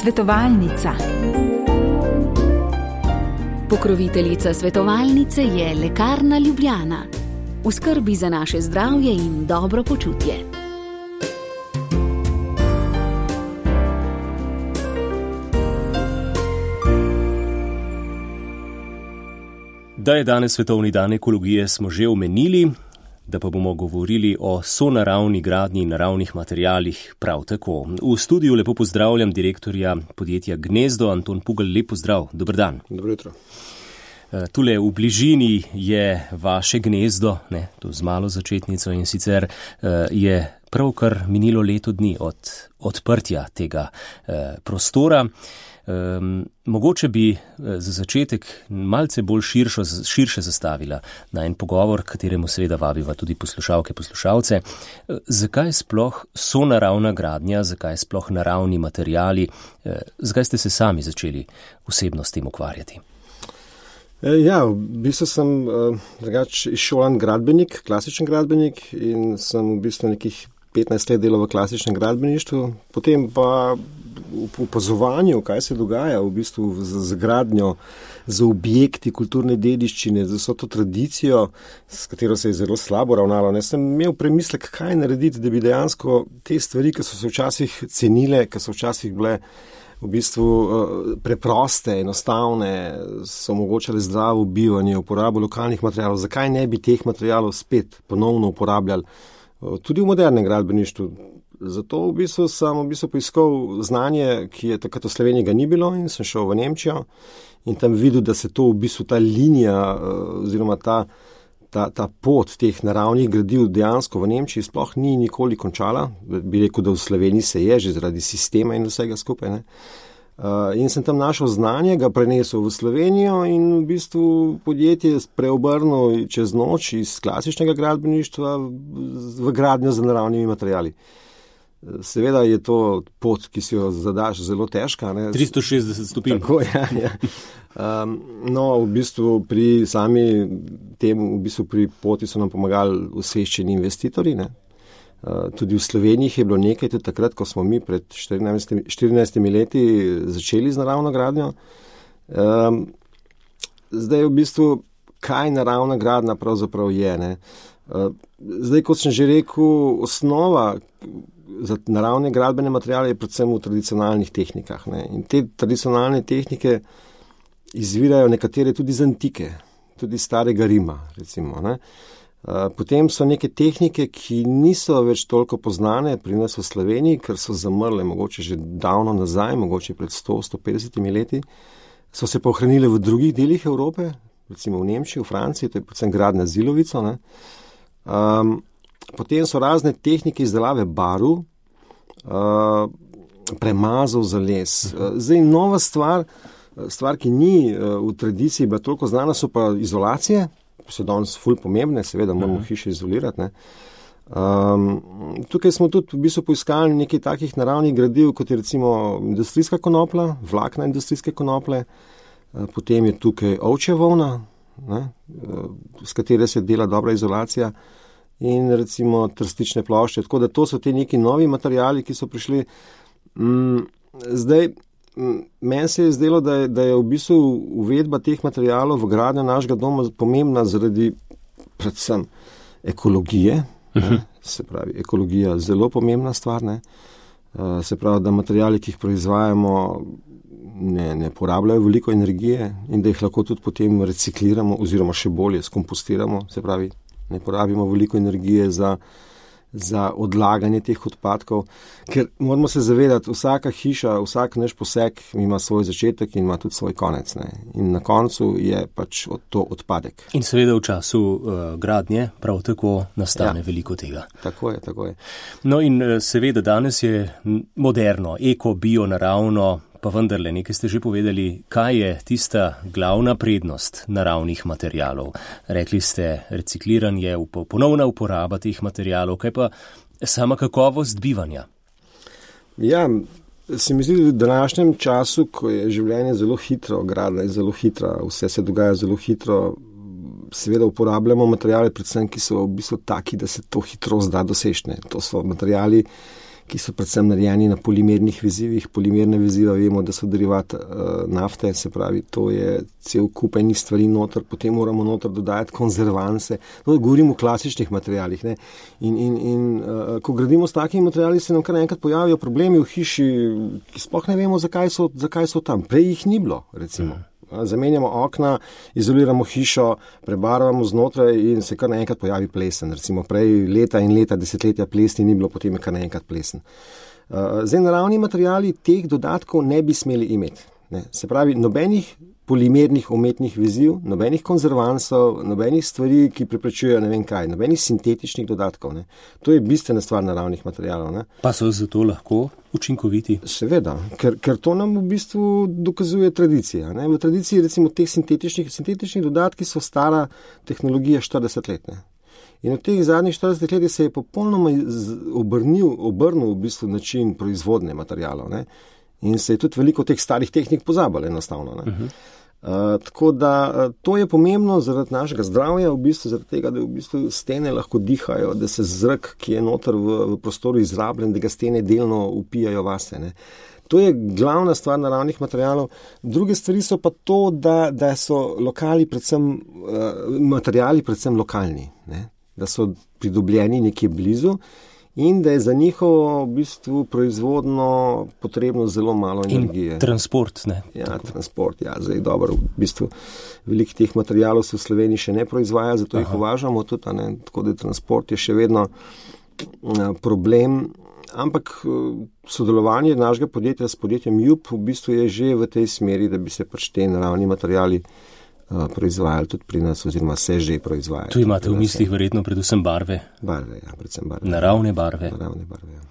Svetovalnica. Pokroviteljica svetovalnice je Lekarna Ljubljana. V skrbi za naše zdravje in dobro počutje. Da je danes svetovni dan ekologije, smo že omenili, da pa bomo govorili o sonaravni gradnji in naravnih materialih prav tako. V studiu lepo pozdravljam direktorja podjetja Gnezdo, Anton Pugl, lep pozdrav, dober dan. Dobro jutro. Tule v bližini je vaše gnezdo, to z malo začetnico, in sicer je pravkar minilo leto dni od odprtja tega prostora. Mogoče bi za začetek malce bolj širše zastavila na en pogovor, kateremu seveda vabiva tudi poslušalke, poslušalce. Zakaj sploh sonaravna gradnja, zakaj sploh naravni materiali, zakaj ste se sami začeli osebno s tem ukvarjati? Ja, v bistvu sem drugače izšolan gradbenik, klasičen gradbenik, in sem v bistvu nekih 15 let delal v klasičnem gradbeništvu, potem pa v opazovanju, kaj se dogaja v bistvu z gradnjo, z objekti kulturne dediščine, z vso to tradicijo, s katero se je zelo slabo ravnalo. Sem imel premislek, kaj narediti, da bi dejansko te stvari, ki so se včasih cenile, ki so včasih bile v bistvu preproste, enostavne, so omogočale zdravo bivanje, uporabo lokalnih materialov, zakaj ne bi teh materialov spet ponovno uporabljali tudi v modernem gradbeništvu. Zato v bistvu sem poiskal znanje, ki je takrat v Sloveniji ga ni bilo, in sem šel v Nemčijo in tam videl, da se to v bistvu ta linija oziroma ta pot teh naravnih gradiv dejansko v Nemčiji sploh ni nikoli končala. Bi rekel, da v Sloveniji se je že zaradi sistema in vsega skupaj. In sem tam našel znanje, ga prenesel v Slovenijo in v bistvu podjetje preobrnil čez noč iz klasičnega gradbeništva v gradnjo z naravnimi materiali. Seveda je to pot, ki si jo zadaš, zelo težka. 360 stopinj. Tako, ja. No, v bistvu pri sami temu, pri poti so nam pomagali osveščeni investitorji. Tudi v Sloveniji je bilo nekaj, tudi takrat, ko smo mi pred 14 leti začeli z naravno gradnjo. Zdaj v bistvu, kaj naravna gradnja pravzaprav je? Zdaj, kot sem že rekel, osnova za naravne gradbene materiale je predvsem v tradicionalnih tehnikah. In te tradicionalne tehnike izvirajo nekatere tudi iz antike, tudi starega Rima, recimo. Potem so neke tehnike, ki niso več toliko poznane pri nas v Sloveniji, ker so zamrle mogoče že davno nazaj, mogoče pred 100-150 leti, so se pa ohranile v drugih delih Evrope, recimo v Nemčiji, v Franciji, to je predvsem gradnja z ilovico. Potem so razne tehnike izdelave barv, premazov za les. Zdaj nova stvar, ki ni v tradiciji bila toliko znana, so pa izolacije, so danes ful pomembne, seveda moramo hiše izolirati. Tukaj smo tudi v bistvu poiskali nekaj takih naravnih gradiv, kot je recimo industrijska konoplja, vlakna industrijske konoplje, potem je tukaj ovčja volna, s katere se dela dobra izolacija, in recimo trstične plošče. Tako da to so te neki novi materiali, ki so prišli. Zdaj, meni se je zdelo, da je v bistvu uvedba teh materialov v gradnjo našega doma pomembna zaradi predvsem ekologije. Se pravi, ekologija je zelo pomembna stvar. Se pravi, da materiali, ki jih proizvajamo, ne porabljajo veliko energije in da jih lahko tudi potem recikliramo oziroma še bolje skompostiramo. Se pravi, ne porabimo veliko energije za odlaganje teh odpadkov, ker moramo se zavedati, vsaka hiša, vsak naš poseg ima svoj začetek in ima tudi svoj konec. In na koncu je pač to odpadek. In seveda v času gradnje prav tako nastane veliko tega. Tako je. No in seveda danes je moderno, eko, bio, naravno, pa vendarle, nekaj ste že povedali, kaj je tista glavna prednost naravnih materialov. Rekli ste recikliranje, ponovna uporaba teh materialov, kaj pa sama kakovost bivanja? Ja, se mi zdi, da v današnjem času, ko je življenje zelo hitro, gradnja je zelo hitra, vse se dogaja zelo hitro, seveda uporabljamo materiale predvsem, ki so v bistvu taki, da se to hitrost da dosežne. To so materiali, ki so predvsem narejeni na polimernih vezivih. Polimerne veziva vemo, da so derivat nafte, se pravi, to je cel kup enih stvari noter, potem moramo noter dodajati konzervanse. No, govorimo o klasičnih materialih. Ne? In ko gradimo s takimi materiali, se nam kar enkrat pojavijo problemi v hiši, ki sploh ne vemo, zakaj so tam. Prej jih ni bilo, recimo. Zamenjamo okna, izoliramo hišo, prebarvamo znotraj in se kar naenkrat pojavi plesen. Recimo prej leta in leta, desetletja plesni ni bilo, potem je kar naenkrat plesen. Zdaj, naravni materiali teh dodatkov ne bi smeli imeti. Ne? Se pravi, nobenih polimernih umetnih veziv, nobenih konzervansov, nobenih stvari, ki preprečujejo ne vem kaj, nobenih sintetičnih dodatkov. Ne? To je bistvena stvar naravnih materialov. Ne? Pa so zato lahko učinkoviti? Seveda, ker to nam v bistvu dokazuje tradicija. Ne? V tradiciji recimo teh sintetičnih dodatki so stara tehnologija 40 let. Ne? In v teh zadnjih 40 letih se je popolnoma obrnil v bistvu način proizvodnje materialov. Ne? In se je tudi veliko teh starih tehnik pozabilo enostavno. Ne? Tako da to je pomembno zaradi našega zdravja, v bistvu zaradi tega, da v bistvu stene lahko dihajo, da se zrak, ki je noter v prostoru izrabljen, da ga stene delno upijajo vase. Ne? To je glavna stvar naravnih materialov. Druge stvari so pa to, da so materiali predvsem lokalni, ne? Da so pridobljeni nekje blizu in da je za njihovo v bistvu proizvodno potrebno zelo malo energije. In transport, ne? Ja, transport, ja. Zdaj dobro, v bistvu veliko teh materialov se v Sloveniji še ne proizvaja, zato jih uvažamo tudi, ne? Tako da transport je še vedno problem, ampak sodelovanje našega podjetja s podjetjem JUP v bistvu je že v tej smeri, da bi se pač te naravni materiali proizvajali tudi pri nas, oziroma se že proizvajajo. Tu imate v mislih verjetno predvsem barve. Barve, ja, predvsem barve. Naravne barve. Naravne barve, ja.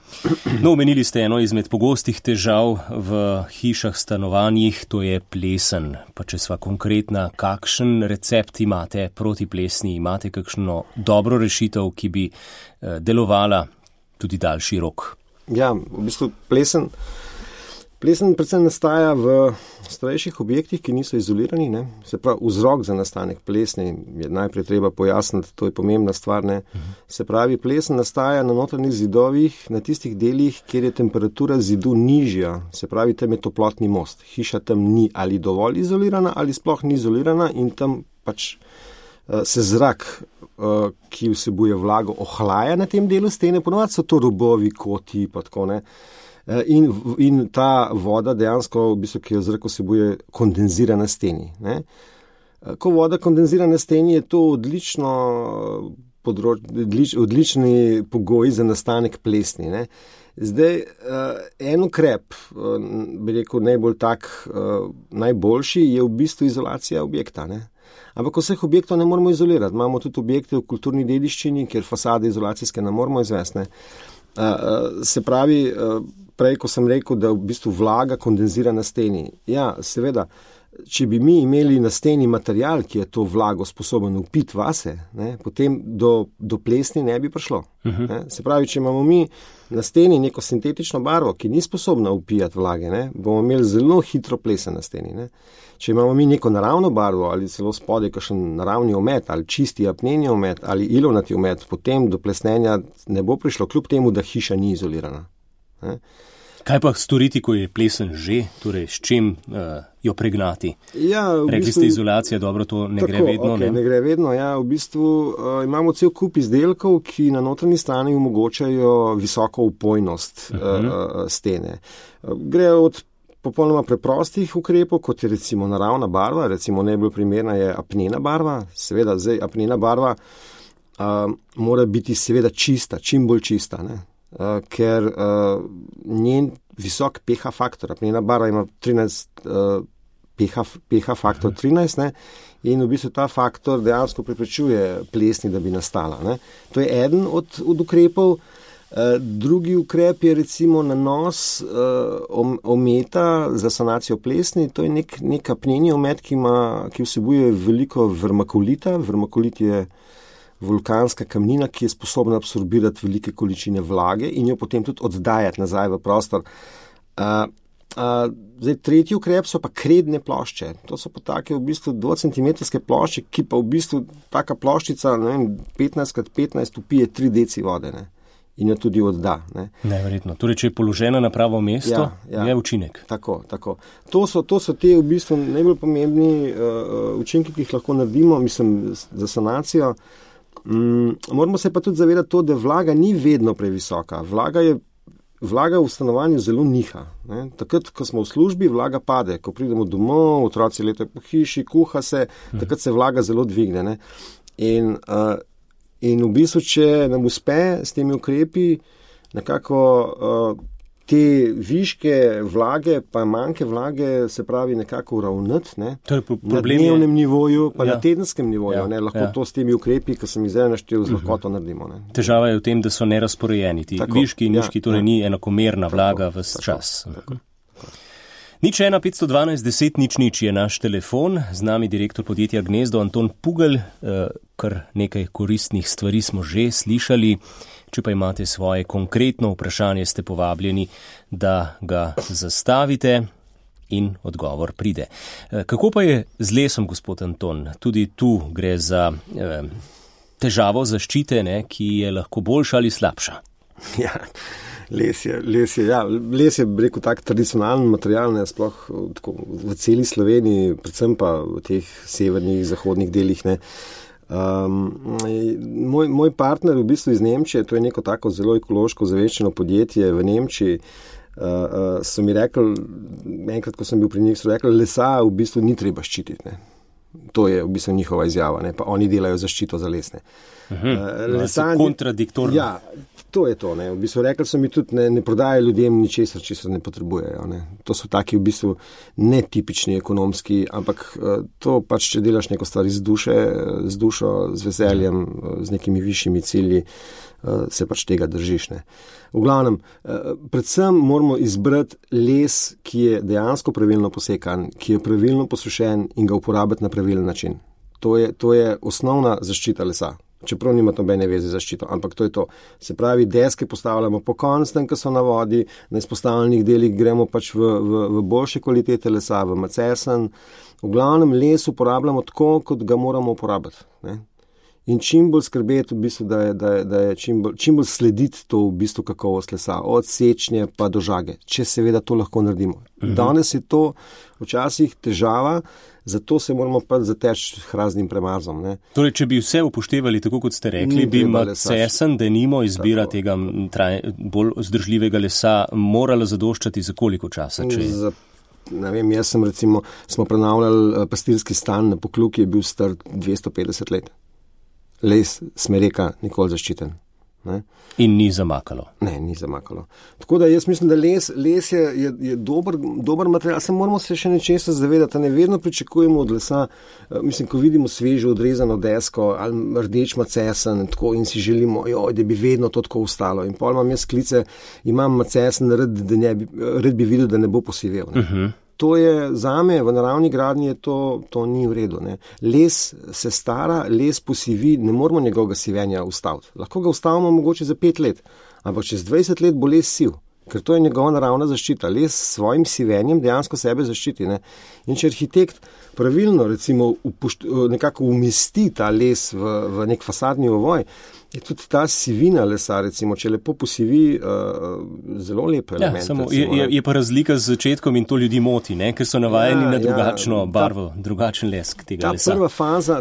No, omenili ste eno izmed pogostih težav v hišah, stanovanjih, to je plesen. Pa če sva konkretna, kakšen recept imate proti plesni? Imate kakšno dobro rešitev, ki bi delovala tudi daljši rok? Ja, v bistvu plesen predvsem nastaja v starejših objektih, ki niso izolirani. Ne? Se pravi, vzrok za nastanek plesni je najprej treba pojasniti, to je pomembna stvar. Ne? Se pravi, plesen nastaja na notranjih zidovih, na tistih delih, kjer je temperatura zidu nižja. Se pravi, tam je toplotni most. Hiša tam ni ali dovolj izolirana ali sploh ni izolirana in tam pač se zrak, ki vsebuje vlago, ohlaja na tem delu stene. Ponovadi so to robovi, koti, pa tako ne. In ta voda dejansko, v bistvu, ki jo zrak vsebuje, kondenzira na steni. Ne? Ko voda kondenzira na steni, je to odlični pogoj za nastanek plesni. Ne? Zdaj, en ukrep, bi rekel najboljši, je v bistvu izolacija objekta. Ne? Ampak vseh objektov ne moramo izolirati. Imamo tudi objekte v kulturni dediščini, kjer fasade izolacijske ne moramo izvesti. Se pravi, prej, ko sem rekel, da v bistvu vlaga kondenzira na steni. Ja, seveda, če bi mi imeli na steni material, ki je to vlago sposoben upiti vase, ne, potem do plesni ne bi prišlo. Ne. Se pravi, če imamo mi na steni neko sintetično barvo, ki ni sposobna upijati vlage, ne, bomo imeli zelo hitro plesen na steni. Ne. Če imamo mi neko naravno barvo ali celo spodaj kakšen naravni omet ali čisti apneni omet ali ilovnati omet, potem do plesnenja ne bo prišlo, kljub temu, da hiša ni izolirana. Ne. Kaj pa storiti, ko je plesen že, torej s čim jo pregnati? Ja, rekli ste izolacija, dobro, to ne gre vedno. Okay, ne gre vedno, ja. V bistvu imamo cel kup izdelkov, ki na notranji strani omogočajo visoko vpojnost stene. Gre od popolnoma preprostih ukrepov, kot je recimo naravna barva, recimo najbolj primerna je apnena barva. Seveda, zdaj apnena barva mora biti seveda čista, čim bolj čista, ne? Ker njen visok pH faktor, apnena barva ima 13, pH faktor 13, ne? In v bistvu ta faktor dejansko preprečuje plesni, da bi nastala. Ne? To je eden od ukrepov. Drugi ukrep je recimo nanos ometa za sanacijo plesni. To je nek apneni omet, ki vsebuje veliko vermakulita. Vermakulit je vulkanska kamnina, ki je sposobna absorbirati velike količine vlage in jo potem tudi oddajati nazaj v prostor. Zdaj, tretji ukrep so pa kredne plošče. To so pa take v bistvu 2-centimetrske plošče, ki pa v bistvu taka ploščica, ne vem, 15x15 upije 3 deci vode. Ne? in jo tudi odda. Ne. Neverjetno. Torej, če je položena na pravo mesto, je učinek. Tako. To so te v bistvu najbolj pomembni učinki, ki jih lahko naredimo, za sanacijo. Moramo se pa tudi zavedati to, da vlaga ni vedno previsoka. Vlaga v stanovanju zelo niha. Ne. Takrat, ko smo v službi, vlaga pade. Ko pridemo domov, otroci letajo po hiši, kuha se, takrat se vlaga zelo dvigne. Ne. In v bistvu, če nam uspe s temi ukrepi nekako te viške vlage, pa manjke vlage, se pravi nekako uravnati, ne, na dnevnem nivoju, pa na tedenskem nivoju, ne, lahko to s temi ukrepi, ki sem jih zdaj naštel, z lahkoto naredimo. Ne. Težava je v tem, da so nerazporejeni. Ti viški in nižki, torej ni enakomerna vlaga ves čas. Nič 1 512 10 0 je naš telefon, z nami direktor podjetja Gnezdo Anton Pugelj, kar nekaj koristnih stvari smo že slišali. Če pa imate svoje konkretno vprašanje, ste povabljeni, da ga zastavite in odgovor pride. Kako pa je z lesom, gospod Anton? Tudi tu gre za težavo zaščite, ne, ki je lahko boljša ali slabša. Ja. Les je, rekel, tak tradicionalen material, ne, sploh tako, v celi Sloveniji, predvsem pa v teh severnih, zahodnih delih. Ne. Moj partner v bistvu iz Nemčije, to je neko tako zelo ekološko zaveščeno podjetje v Nemčiji, so mi rekli, enkrat, ko sem bil pri njih, so rekli, lesa v bistvu ni treba ščititi. Ne. To je v bistvu njihova izjava, ne, pa oni delajo zaščito za les. Kontradiktorno. Ja, to je to. Ne. V bistvu rekli so mi tudi, ne prodajajo ljudem ničesar, česar ne potrebujejo. Ne. To so taki v bistvu netipični ekonomski, ampak to pač, če delaš neko stvar iz duše, z dušo, z veseljem, z nekimi višjimi cilji, se pač tega držiš. Ne. V glavnem, predvsem moramo izbrati les, ki je dejansko pravilno posekan, ki je pravilno posušen in ga uporabiti na pravilen način. To je osnovna zaščita lesa. Čeprav nima nobene veze z zaščito, ampak to je to. Se pravi, deske postavljamo pokonci, ko so na vodi, na izpostavljenih delih gremo pač v boljše kvalitete lesa, v macesen. V glavnem les uporabljamo tako, kot ga moramo uporabiti. Ne? In čim bolj skrbeti, v bistvu, da je čim bolj slediti to v bistvu kakovost lesa, od sečnje pa do žage, če seveda to lahko naredimo. Danes je to včasih težava, zato se moramo pa zateči raznim premazom. Ne. Torej, če bi vse upoštevali, tako kot ste rekli, bi macesen, denimo izbira tega bolj vzdržljivega lesa, morala zadoščati za koliko časa? Ne vem, smo prenavljali pastirski stan na Pokljuki, je bil star 250 let. Les smereka nikoli zaščiten. Ne? In ni zamakalo. Ne, ni zamakalo. Tako da jaz mislim, da les je dober material. Moramo se še nečesa zavedati, ne vedno pričakujemo od lesa, ko vidimo svežo odrezano desko ali rdeč macesen in si želimo, da bi vedno to tako ostalo. In pol imam jaz klice, imam macesen, rad bi videl, da ne bo posivel. Ne? To je zame v naravni gradnji, to ni v redu. Ne. Les se stara, les posivi, ne moramo njegovega sivenja ustaviti. Lahko ga ustavimo mogoče za 5 let, ampak čez 20 let bo les siv, ker to je njegova naravna zaščita. Les s svojim sivenjem dejansko sebe zaščiti. Ne. In če arhitekt pravilno recimo nekako umesti ta les v nek fasadni ovoj, je tudi ta sivina lesa, recimo, če lepo posivi, zelo lep element. Ja, samo je pa razlika z začetkom in to ljudi moti, ne? Ker so navajeni na drugačno barvo, drugačen lesk tega lesa.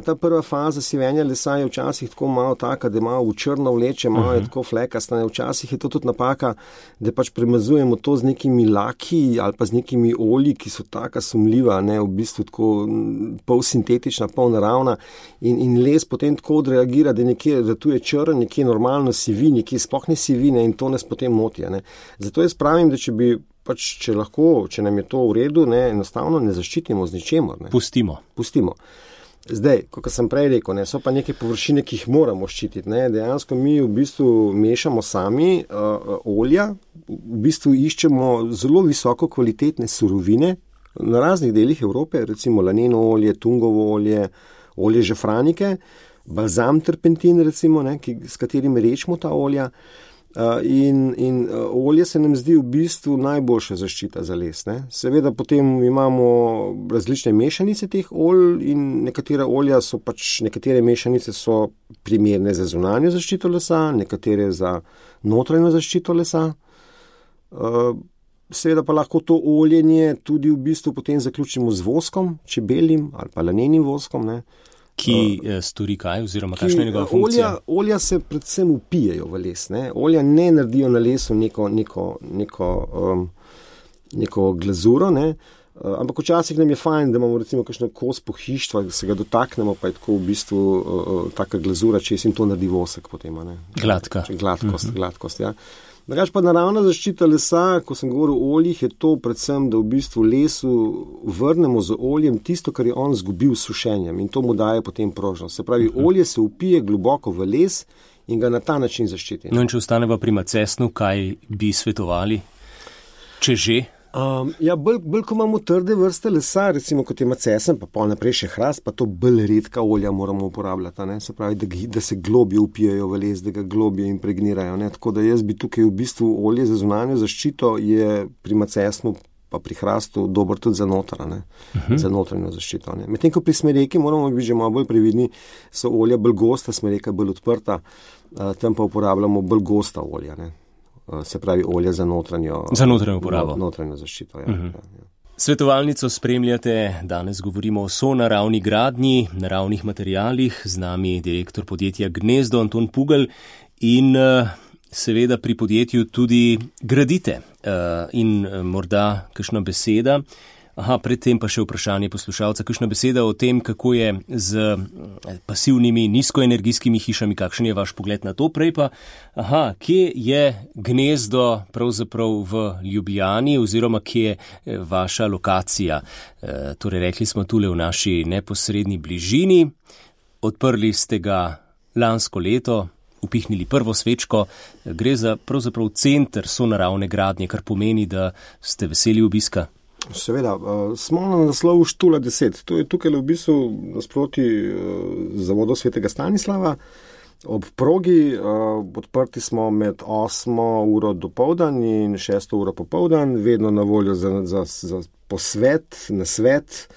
Ta prva faza sivenja lesa je včasih tako malo taka, da malo v črno vleče, malo je tako flekasta. Včasih je to tudi napaka, da pač premazujemo to z nekimi laki ali pa z nekimi olji, ki so taka sumljiva, ne, v bistvu tako pol sintetična, pol naravna in les potem tako odreagira, da nekje ratuje nekje normalno sivi, nekje sploh ne sivine in to nas potem moti. Ne. Zato jaz pravim, da če lahko, če nam je to v redu, ne, enostavno ne zaščitimo z ničemor. Ne. Pustimo. Zdaj, kot sem prej rekel, ne, so pa neke površine, ki jih moramo ščititi. Ne. Dejansko mi v bistvu mešamo sami olja, v bistvu iščemo zelo visoko kvalitetne surovine na raznih delih Evrope, recimo laneno olje, tungovo olje, olje žafranike, balzam terpentin, recimo, ne, s katerim rečemo ta olja. In olje se nam zdi v bistvu najboljša zaščita za les. Ne? Seveda potem imamo različne mešanice teh olj in nekatere mešanice so primerne za zunanjo zaščito lesa, nekatere za notranjo zaščito lesa. Seveda pa lahko to oljenje tudi v bistvu potem zaključimo z voskom, čebeljim ali pa lanenim voskom, ne? Ki stori kaj oziroma kakšna je njegova funkcija? Olja se predvsem upijejo v les. Ne? Olja ne naredijo na lesu neko glazuro, ne? Ampak včasih nam je fajn, da imamo recimo kakšno kos pohištva, da se ga dotaknemo, pa je tako v bistvu taka glazura, če jim to naredi vosek potem. Ne? Gladkost, ja. Drugače pa naravna zaščita lesa, ko sem govoril o oljih, je to predvsem, da v bistvu lesu vrnemo z oljem tisto, kar je on zgubil s sušenjem in to mu daje potem prožnost. Se pravi, olje se upije globoko v les in ga na ta način zaščiti. No in če ostaneva pri macesnu, kaj bi svetovali, če že? Bolj ko imamo trde vrste lesa, recimo kot je macesen, pa pol naprej še hrast, pa to bolj redka olja moramo uporabljati, ne? Se pravi, da se globje upijajo v les, da ga globje impregnirajo, ne? Tako da jaz bi tukaj v bistvu olje za zunanjo zaščito je pri macesnu pa pri hrastu dober tudi za za notranjo zaščito, ne? Medtem ko pri smreki moramo biti že malo bolj previdni, so olja bolj gosta, smreka bolj odprta, tam pa uporabljamo bolj gosta olja, ne? Se pravi olje za notranjo uporabo. Notranjo zaščito, ja. Svetovalnico spremljate, danes govorimo o sonaravni gradnji, naravnih materialih, z nami direktor podjetja Gnezdo Anton Pugelj in seveda pri podjetju tudi gradite in morda kakšna beseda. Predtem pa še vprašanje poslušalca, kakšna beseda o tem, kako je z pasivnimi, nizkoenergijskimi hišami, kakšen je vaš pogled na to, prej pa, kje je gnezdo pravzaprav v Ljubljani oziroma kje je vaša lokacija. Torej, rekli smo tule v naši neposredni bližini, odprli ste ga lansko leto, upihnili prvo svečko, gre za pravzaprav center sonaravne gradnje, kar pomeni, da ste veseli obiska. Seveda, smo na naslovu Štula 10. To je tukaj v bistvu nasproti zavodu Svetega Stanislava. Ob progi odprti smo med 8 uro dopoldan in 6 uro popoldan, vedno na voljo za posvet, nasvet.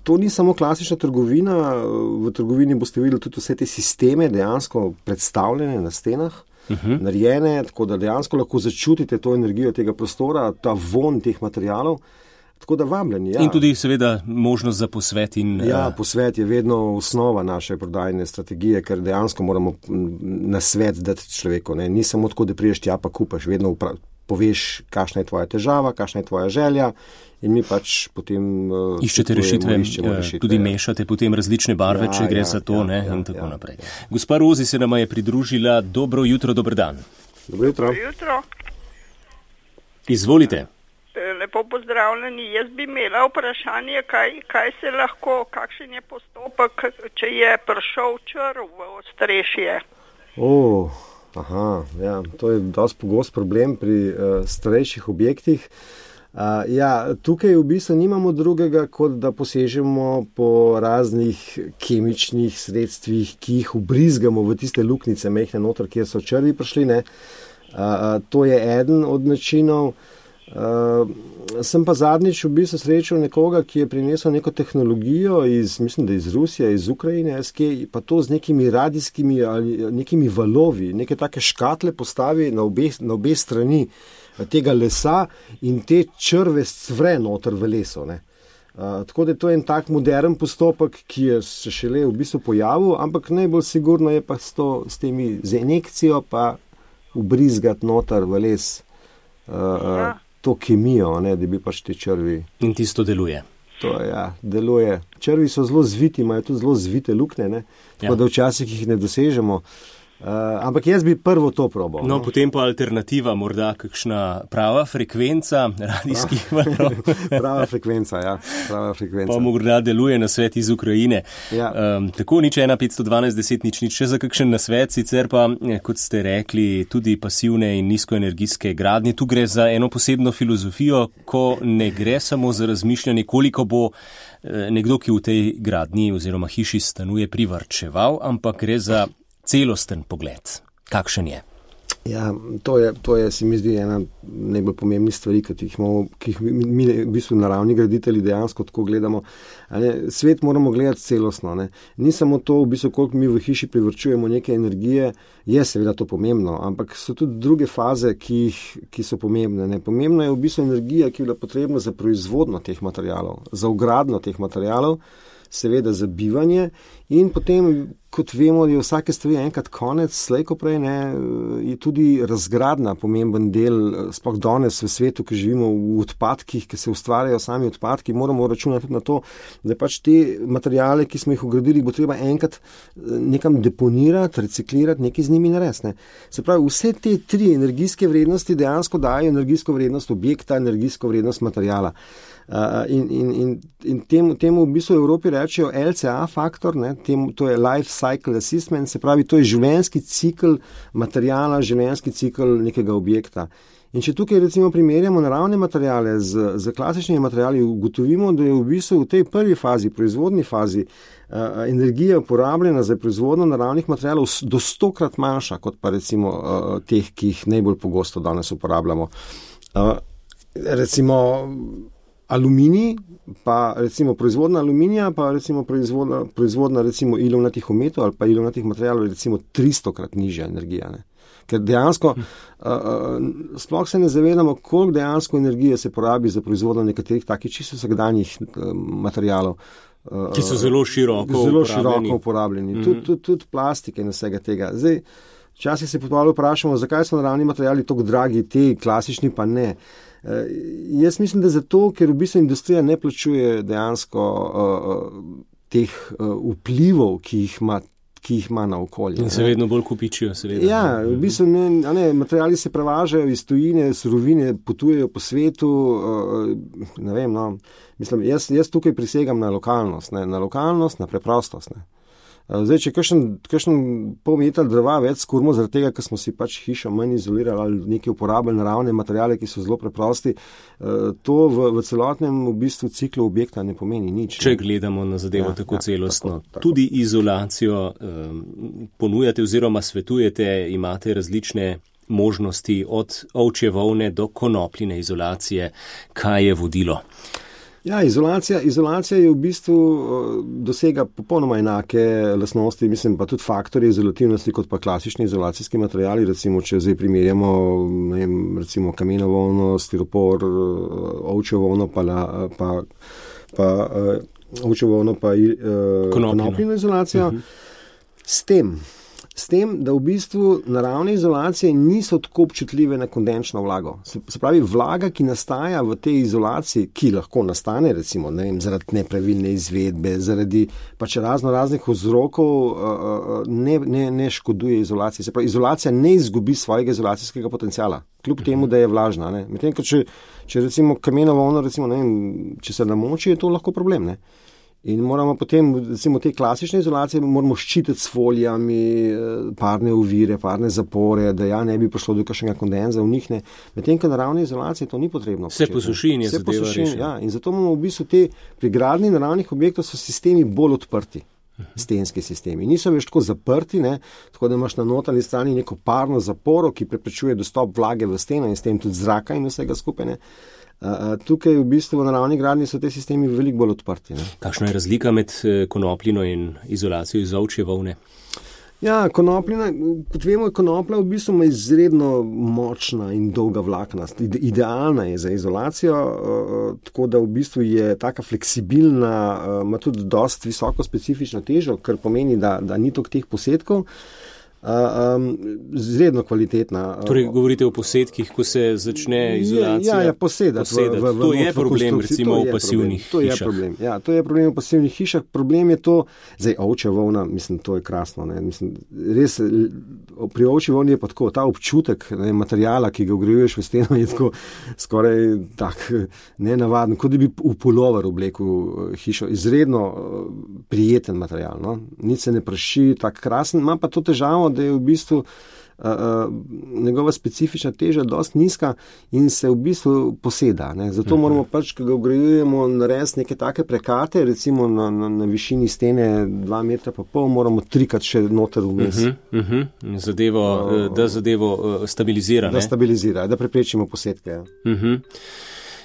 To ni samo klasična trgovina, v trgovini boste videli tudi vse te sisteme dejansko predstavljene na stenah. Narejene, tako da dejansko lahko začutite to energijo tega prostora, ta von teh materialov, tako da vabljeni. Ja. In tudi seveda možnost za posvet. Posvet je vedno osnova naše prodajne strategije, ker dejansko moramo na svet dati človeku. Ne. Ni samo tako, da priješ tja pa kupaš, vedno poveš, kakšna je tvoja težava, kakšna je tvoja želja in mi pač potem iščete rešitve, tudi mešate potem različne barve, če gre za to, in tako naprej. Gospa Rozi se nama je pridružila. Dobro jutro, dober dan. Dobro jutro. Izvolite. Lepo pozdravljeni. Jaz bi imela vprašanje, kaj se lahko, kakšen je postopek, če je prišel črv v ostrešje. To je dosti pogost problem pri starejših objektih. Tukaj v bistvu nimamo drugega, kot da posežemo po raznih kemičnih sredstvih, ki jih ubrizgamo v tiste luknjice mehne noter, kjer so črvi prišli. Ne? To je eden od načinov. Sem pa zadnjič v bistvu srečal nekoga, ki je prinesel neko tehnologijo mislim, da iz Rusije, iz Ukrajine, pa to z nekimi radijskimi ali nekimi valovi, neke take škatle postavi na obe strani tega lesa in te črve scvre noter v leso. Ne. Tako da to je en tak modern postopek, ki je se šele v bistvu pojavil, ampak najbolj sigurno je pa z injekcijo pa ubrizgati noter v les to kemijo, ne, da bi pač te črvi. In tisto deluje. To deluje. Črvi so zelo zviti, imajo tudi zelo zvite luknje, ne, tako da včasih jih ne dosežemo. Ampak jaz bi prvo to probal. No, potem pa alternativa, morda kakšna prava frekvenca radijskih valov. Prava frekvenca. Pa morda deluje nasvet iz Ukrajine. Tako, 015121000, še za kakšen nasvet, sicer pa, kot ste rekli, tudi pasivne in nizkoenergijske gradnje. Tu gre za eno posebno filozofijo, ko ne gre samo za razmišljanje, koliko bo nekdo, ki v tej gradnji oziroma hiši stanuje, privarčeval, ampak gre za celosten pogled. Kakšen je? Ja, to je, se mi zdi, ena najbolj pomembnih stvari, ki jih mi v bistvu naravni graditelji dejansko tako gledamo. Svet moramo gledati celostno. Ne. Ni samo to, v bistvu, koliko mi v hiši privrčujemo neke energije, je seveda to pomembno, ampak so tudi druge faze, ki so pomembne. Ne. Pomembna je v bistvu energija, ki je bila potrebna za proizvodnjo teh materialov, za vgradnjo teh materialov, seveda za bivanje in potem, kot vemo, je vsake stvari enkrat konec, slej ko prej, ne, je tudi razgradnja pomemben del, sploh danes v svetu, ki živimo v odpadkih, ki se ustvarjajo sami odpadki, moramo računati tudi na to, da pač te materiale, ki smo jih ugradili, bo treba enkrat nekam deponirati, reciklirati, nekaj z njimi narediti. Se pravi, vse te tri energijske vrednosti dejansko dajo energijsko vrednost objekta, energijsko vrednost materijala. In temu v bistvu v Evropi rečejo LCA faktor, ne, to je Life Cycle Assessment, se pravi, to je življenjski cikl materijala, življenjski cikl nekega objekta. In če tukaj recimo primerjamo naravne materijale z klasičnimi materijali, ugotovimo, da je v bistvu v tej prvi fazi, proizvodni fazi, energija uporabljena za proizvodnjo naravnih materijalov do 100-krat manjša, kot pa recimo teh, ki jih najbolj pogosto danes uporabljamo. Recimo aluminij, pa recimo proizvodna aluminija, pa recimo proizvodna recimo ilovnatih ometov ali pa ilovnatih materijalov je recimo 300-krat nižja energija. Ne? Ker dejansko sploh se ne zavedamo, koliko dejansko energije se porabi za proizvodno nekaterih takih čisto vsakdanjih materijalov. Ki so zelo široko uporabljeni. Tudi plastike in vsega tega. Zdaj, včasih se potem vprašamo, zakaj so naravni materiali tako dragi, te klasični pa ne. Jaz mislim, da zato, ker v bistvu industrija ne plačuje dejansko teh vplivov, ki jih ima na okolje. In se vedno bolj kupičijo, seveda. Ja, v bistvu materiali se prevažajo iz tujine, surovine potujejo po svetu, ne vem, no, mislim, jaz tukaj prisegam na lokalnost, na preprostost, ne. Zdaj, če kakšen pol metra drva več skurmo, zaradi tega, ker smo si pač hišo manj izolirali ali nekaj uporabili naravne materiale, ki so zelo preprosti, to v celotnem v bistvu ciklu objekta ne pomeni nič. Če gledamo na zadevo tako celostno, tako. Tudi izolacijo ponujate oziroma svetujete, imate različne možnosti od ovčje volne do konopljine izolacije. Kaj je vodilo? Ja, izolacija je v bistvu dosega popolnoma enake lastnosti, mislim pa tudi faktorje izolativnosti kot pa klasični izolacijski materiali, recimo če zdaj primerjamo, ne vem, recimo kameno volno, stiropor, ovčjo volno pa ovčjo volno pa konopljino izolacijo. S tem, da v bistvu naravne izolacije niso tako občutljive na kondenčno vlago. Se pravi, vlaga, ki nastaja v tej izolaciji, ki lahko nastane, recimo, ne vem, zaradi nepravilne izvedbe, zaradi pač raznih vzrokov, ne škoduje izolaciji. Se pravi, izolacija ne izgubi svojega izolacijskega potenciala, kljub temu, da je vlažna. Ne. Medtem, če recimo kameno volno, recimo, ne vem, če se namoči, je to lahko problem, ne. In moramo potem, recimo, te klasične izolacije moramo ščititi s folijami, parne ovire, parne zapore, da ne bi prišlo do kakšnega kondenza v njih. Medtem, ko naravne izolacije to ni potrebno. Vse posuši in je zadeva rešena. Ja, in zato imamo v bistvu pri gradnji naravnih objektov so sistemi bolj odprti. Stenski sistemi. Niso več tako zaprti, ne? Tako da imaš na notranji strani neko parno zaporo, ki preprečuje dostop vlage v steno in s tem tudi zraka in vsega skupaj. Tukaj v bistvu v naravni gradnji so te sistemi veliko bolj odprti. Ne? Kakšna je razlika med konopljino in izolacijo iz ovčje volne? Ja, konopljina, kot vemo, konoplja v bistvu ima izredno močna in dolga vlakna. Idealna je za izolacijo, tako da v bistvu je taka fleksibilna, ima tudi dosti visoko specifično težo, kar pomeni, da ni toliko teh posedkov. Izredno kvalitetna. Torej, govorite o posedkih, ko se začne izolacija? Ja, posedati. To je problem, recimo, v pasivnih hišah. To je problem v pasivnih hišah. Problem je to, zdaj, ovčja volna, mislim, to je krasno. Ne? Mislim, res, pri ovčji volni je pa tako, ta občutek materijala, ki ga vgrajuješ v steno, je tako skoraj tak nenavaden, kot da bi v pulover oblekel hišo. Izredno prijeten material. No? Nič se ne praši, tak krasen, ima pa to težavo, da je v bistvu njegova specifična teža dosti nizka in se v bistvu poseda. Ne. Zato moramo pač, ko ga vgrajujemo, narediti neke take prekate, recimo na višini stene 2,5 metra, moramo 3-krat še noter vmes. Da zadevo stabilizira. Da stabilizira, da preprečimo posedke.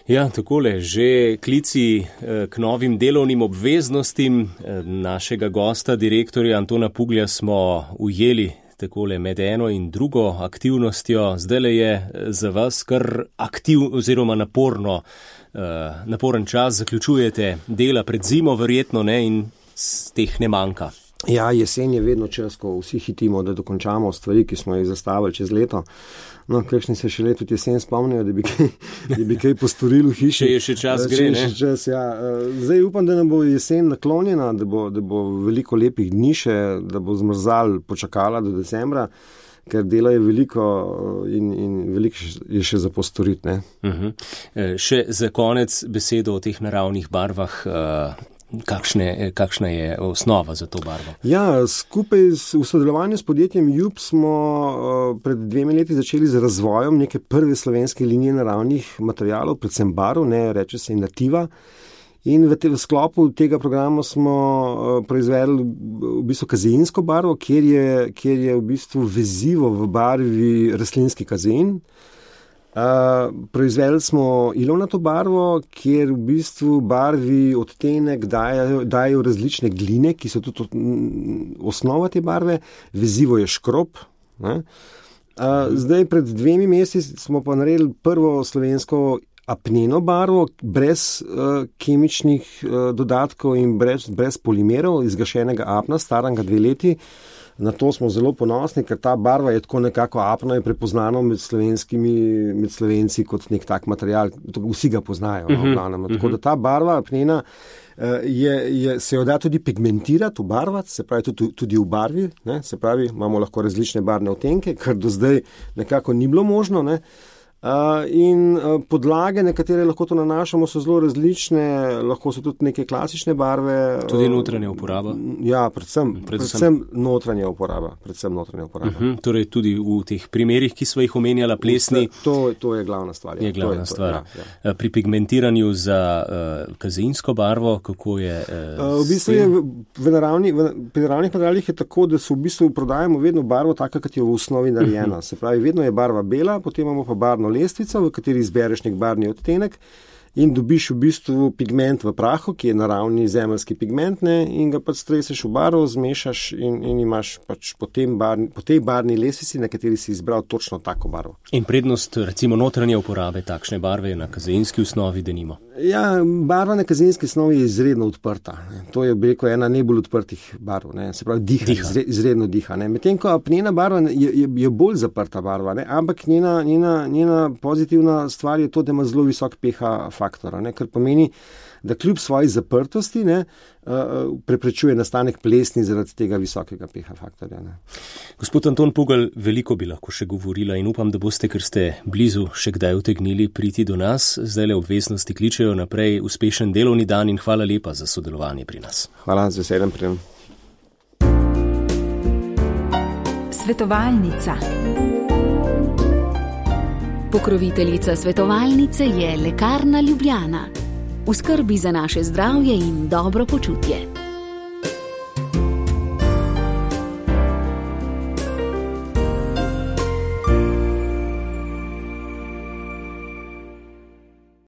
Ja, takole, že klici k novim delovnim obveznostim našega gosta, direktorja Antona Puglja, smo ujeli takole med eno in drugo aktivnostjo. Zdajle je za vas kar oziroma naporen čas, zaključujete dela pred zimo verjetno, ne, in teh ne manjka. Ja, jesen je vedno čas, ko vsi hitimo, da dokončamo stvari, ki smo jih zastavili čez leto. No, kakšni se še leto jesen spomnijo, da bi kaj postorili v hiši. Če je še čas, gre, ne? Zdaj upam, da nam bo jesen naklonjena, da bo veliko lepih dni še, da bo zmrzal počakala do decembra, ker dela je veliko in veliko je še za postoriti, ne. Še za konec besedo o teh naravnih barvah. Kakšna je osnova za to barvo? Ja, skupaj v sodelovanju s podjetjem Jub smo pred 2 leti začeli z razvojem neke prve slovenske linije naravnih materialov, predvsem barv, reče se Nativa. In v sklopu tega programa smo proizvedli v bistvu kazeinsko barvo, kjer je v bistvu vezivo v barvi rastlinski kazein. Proizvedli smo ilovnato barvo, kjer v bistvu barvi odtenek dajo različne gline, ki so tudi osnova te barve. Vezivo je škrob. Zdaj pred 2 meseci smo pa naredili prvo slovensko apneno barvo, brez kemičnih dodatkov in brez polimerov, izgašenega apna, starega 2 leti. Na to smo zelo ponosni, ker ta barva je tako nekako apno, je prepoznano med Slovenci kot nek tak material. Vsi ga poznajo. Tako da ta barva apnena se jo da tudi pigmentirati, ubarvati, se pravi tudi v barvi. Ne? Se pravi, imamo lahko različne barvne odtenke, kar do zdaj nekako ni bilo možno. Ne? In podlage, na katere lahko to nanašamo, so zelo različne, lahko so tudi neke klasične barve. Tudi notranja uporaba? Ja, predvsem notranja uporaba. Torej tudi v teh primerih, ki smo jih omenjala, plesni. To je glavna stvar. Je glavna stvar. Ja. Pri pigmentiranju za kazeinsko barvo, kako je? V bistvu je pri naravnih materialih je tako, da se v bistvu prodajamo vedno barvo taka, kot je v osnovi narejena. Se pravi, vedno je barva bela, potem imamo pa barvno lestvico, v kateri izbereš nek barvni odtenek in dobiš v bistvu pigment v prahu, ki je naravni zemeljski pigment, in ga pač streseš v barvo, zmešaš in imaš pač po tej barvni lestvici, na kateri si izbral točno tako barvo. In prednost recimo notranje uporabe takšne barve na kazeinski osnovi, denimo? Ja, barva na kazeinski osnovi je izredno odprta. To je ena najbolj odprtih barv. Se pravi, izredno diha. Medtem ko apnena barva je bolj zaprta barva, ampak njena pozitivna stvar je to, da ima zelo visok pH faktor, kar pomeni, da kljub svoji zaprtosti preprečuje nastanek plesni zaradi tega visokega pH faktorja. Gospod Anton Pugelj, veliko bi lahko še govorila in upam, da boste, ker ste blizu, še kdaj utegnili priti do nas. Zdajle obveznosti kličejo naprej. Uspešen delovni dan in hvala lepa za sodelovanje pri nas. Hvala, z veseljem prijem. Svetovalnica. Pokroviteljica svetovalnice je Lekarna Ljubljana. V skrbi za naše zdravje in dobro počutje.